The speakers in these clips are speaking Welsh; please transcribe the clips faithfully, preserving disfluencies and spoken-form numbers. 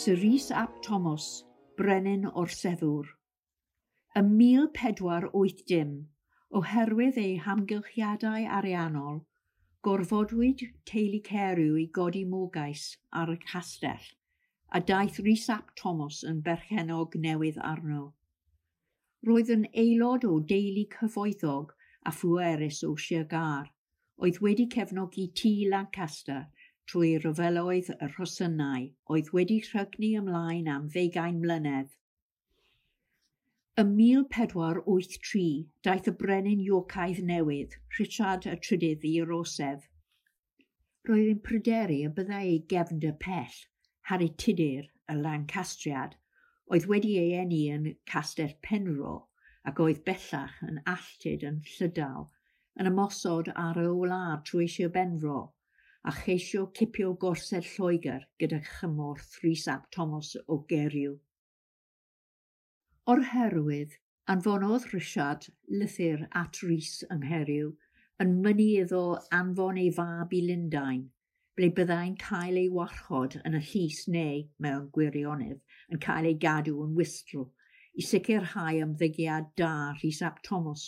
Sir Rhys ap Thomas, brenin orseddwr. Ym mil pedwar wyth dim, oherwydd ei hamgylchiadau ariannol, gorfodwyd teulu Carew i godi morgais ar y castell, a daeth Rhys ap Thomas yn berchennog newydd arno. Roedd yn aelod o deulu cyfoethog a phwerus o Sir Gâr, oedd wedi cefnogi tŷ Lancaster trwy ryfeloedd y Rhosynnau oedd wedi rhygnu ymlaen am ddeugain mlynedd. Ym mil pedwar wyth tri, daeth y brenin Yorkaidd newydd, Richard y Trydydd, i'r orsedd. Roedd yn pryderu y byddai ei gefnder pell, Harri Tudur, y Lancastriad, oedd wedi ei eni yn Castell Penfro ac oedd bellach yn alltud yn Llydaw, yn ymosod ar y wlad trwy Sir Benfro, a cheisio cipio gorsedd Lloegr gyda chymorth Rhys ap Thomas o Gerw. O'r herwydd, anfonodd Richard lythyr at Rhys yng Nghaerw yn mynnu iddo anfon ei fab i Lundain, ble byddai'n cael ei warchod yn y llys neu, mewn gwirionedd, yn cael ei gadw yn wystl, i sicrhau ymddygiad da Rhys ap Thomas.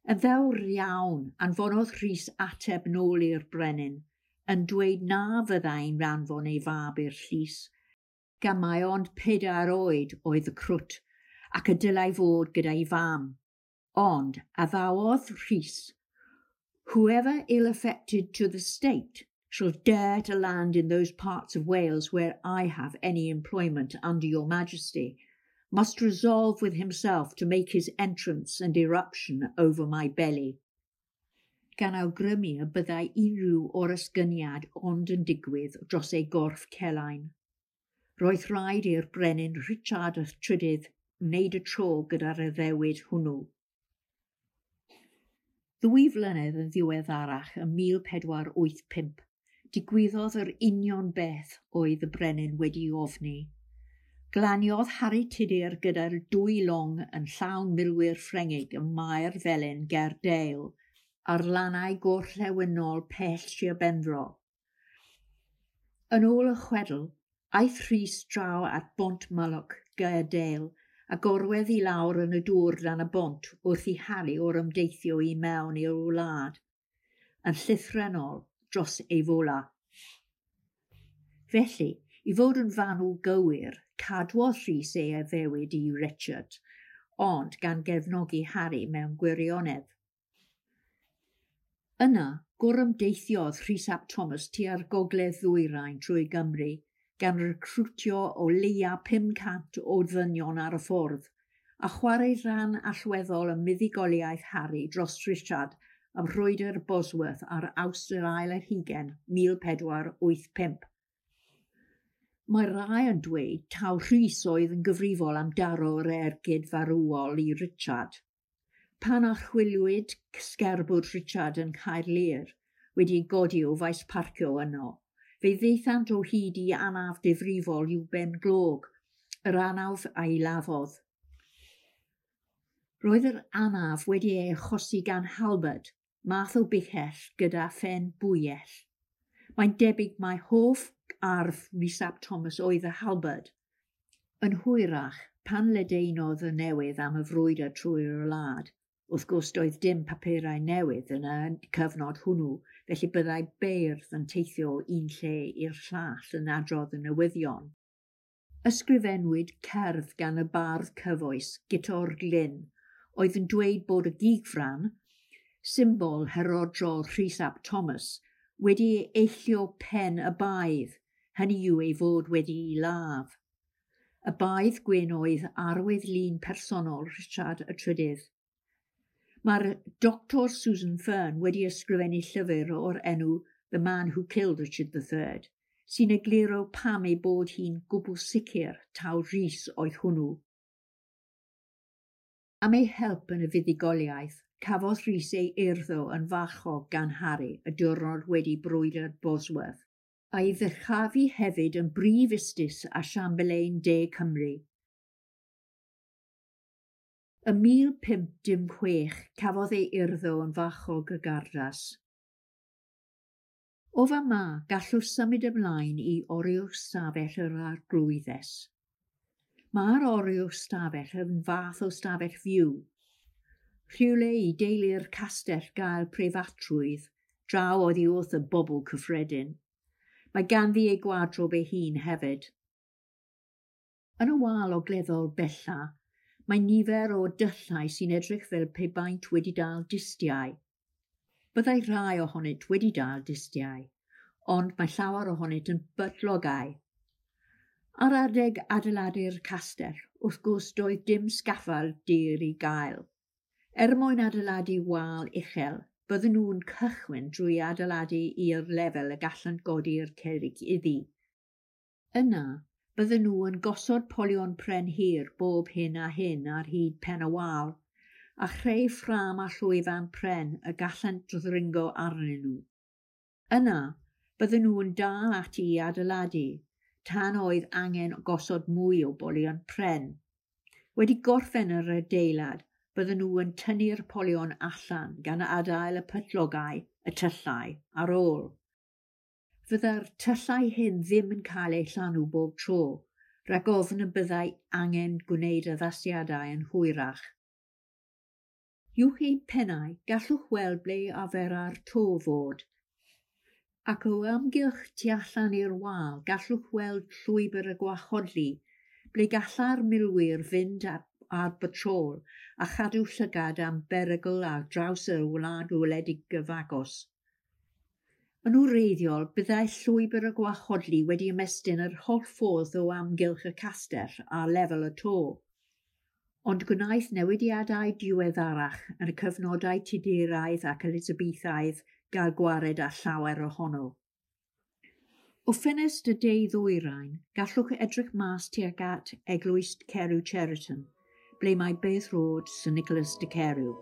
Yn ddewr iawn, anfonodd Rhys ateb nôl i'r brenin, yn dweud na fyddai'n anfon ei fab i'r llys, gan mai ond pedair oed oedd y crwt, ac y dylai fod gyda'i fam. Ond addawodd Rhys, "Whoever ill-affected to the state shall dare to land in those parts of Wales where I have any employment under your majesty, must resolve with himself to make his entrance and irruption over my belly." Gan awgrymu y byddai unrhyw oresgyniad ond yn digwydd dros ei gorff celain. Roedd rhaid i'r brenin Richard y Trydydd wneud y tro gyda'r addewid hwnnw. Ddwy flynedd yn ddiweddarach, ym mil pedwar wyth pump, digwyddodd yr union beth oedd y brenin wedi ofni. Glaniodd Harri Tudur gyda'r dwy long yn llawn milwyr Ffrengig ym Mae'r Felin ger Dale, ar lannau gorllewinol pell Sir Benfro. Yn ôl y chwedl, aeth Rhys draw at Bont Mullock ger Dale a gorwedd i lawr yn y dŵr dan y bont wrth i Harri orymdeithio i mewn i'r wlad, yn llythrennol dros ei fola. Felly, i fod yn fanwl gywir, cadwodd Rhys ei addewid i Richard, ond gan gefnogi Harri mewn gwirionedd. Yna, gorymdeithiodd Rhys ap Thomas tua'r gogledd ddwyrain trwy Gymru, gan recrwtio o leia pum cant o ddynion ar y ffordd, a chwarae rhan allweddol ym muddugoliaeth Harri dros Richard ym Mhrwydr Bosworth ar Awst yr ail ar hugain, mil pedwar wyth pump. Mae rhai yn dweud taw Rhys oedd yn gyfrifol am daro'r ergyd farwol i Richard. Pan archwiliwyd sgerbwd Richard yn Caerlŷr, wedi ei godi o faes parcio yno, fe ddaethant o hyd i anaf difrifol i'w ben glog, yr anaf a'i laddodd. Roedd yr anaf wedi ei achosi gan halberd, math o bichell gyda phen bwyell. Mae'n debyg mai hoff arf Rhys ap Thomas oedd y halberd. Yn hwyrach, pan ledaenodd y newydd am y frwydr trwy'r wlad, wrth gwrs doedd dim papurau newydd yn y cyfnod hwnnw, felly byddai beirdd yn teithio o un lle i'r llall yn adrodd y newyddion. Ysgrifennwyd cerdd gan y bardd cyfoes Guto'r Glyn, oedd yn dweud bod y gigfran, symbol herodrol Rhys ap Thomas, wedi eillio pen y baedd, hynny yw ei fod wedi'i ladd. Y baedd gwyn oedd arwydd lun personol Richard y Trydydd. Mae'r Doctor Susan Fern wedi ysgrifennu llyfr o'r enw The Man Who Killed Richard the Third, sy'n egluro pam ei bod hi'n gwbl sicr taw Rhys oedd hwnnw. Am ei help yn y fuddugoliaeth, cafodd Rhys ei urddo yn farchog gan Harri y diwrnod wedi brwydr Bosworth, a'i ddyrchafu hefyd yn brif ustus a Siambelain De Cymru. Ym mil pump dim chwech cafodd ei urddo yn farchog y Gardas. O fama, gallwch symud ymlaen i oriwr stafell yr arglwyddes. Mae'r oriwr stafell yn fath o stafell fyw. Rhywle i deulu'r castell gael preifatrwydd, draw oddi wrth y bobl cyffredin. Mae ganddi ei gwadrob ei hun hefyd. Yn y wal ogleddol bella, mae nifer o dyllau sy'n edrych fel pe baent wedi dal distiau. Byddai rhai ohonynt wedi dal distiau, ond mae llawer ohonynt yn bytlogau. Ar adeg adeiladu'r castell, wrth gwrs doedd dim sgaffald dir i gael. Er mwyn adeiladu wal uchel, bydden nhw'n cychwyn drwy adeiladu i'r lefel y gallant godi'r cerrig iddi. Yna, bydden nhw yn gosod polion pren hir bob hyn a hyn ar hyd pen y wal, a chreu ffrâm a llwyfan pren y gallant ddringo arnyn nhw. Yna, bydden nhw yn dal ati i adeiladu, tan oedd angen gosod mwy o bolion pren. Wedi gorffen yr adeilad, bydden nhw yn tynnu'r polion allan gan adael y pyllogau, y tyllau, ar ôl. Fydda'r tyllau hyn ddim yn cael eu llanw bob tro, rhag ofn y byddai angen gwneud addasiadau yn hwyrach. Uwch ein pennau, gallwch weld ble arfera'r to fod, ac o amgylch tu allan i'r wal gallwch weld llwybr y gwahodlu, ble gallai'r milwyr fynd ar, ar batrôl a chadw llygad am berygl ar draws y wlad wledig gyfagos. Yn wreiddiol, byddai llwybr y gwahodlu wedi ymestyn yr holl ffordd o amgylch y castell ar lefel y to. Ond gwnaeth newidiadau diweddarach yn y cyfnodau Tuduraidd ac Elizabethaidd gael gwared â llawer ohono. O ffenest y de ddwyrain, gallwch edrych mas tuag at Eglwys Carew Cheriton, ble mae beddrod Sir Nicholas de Carew.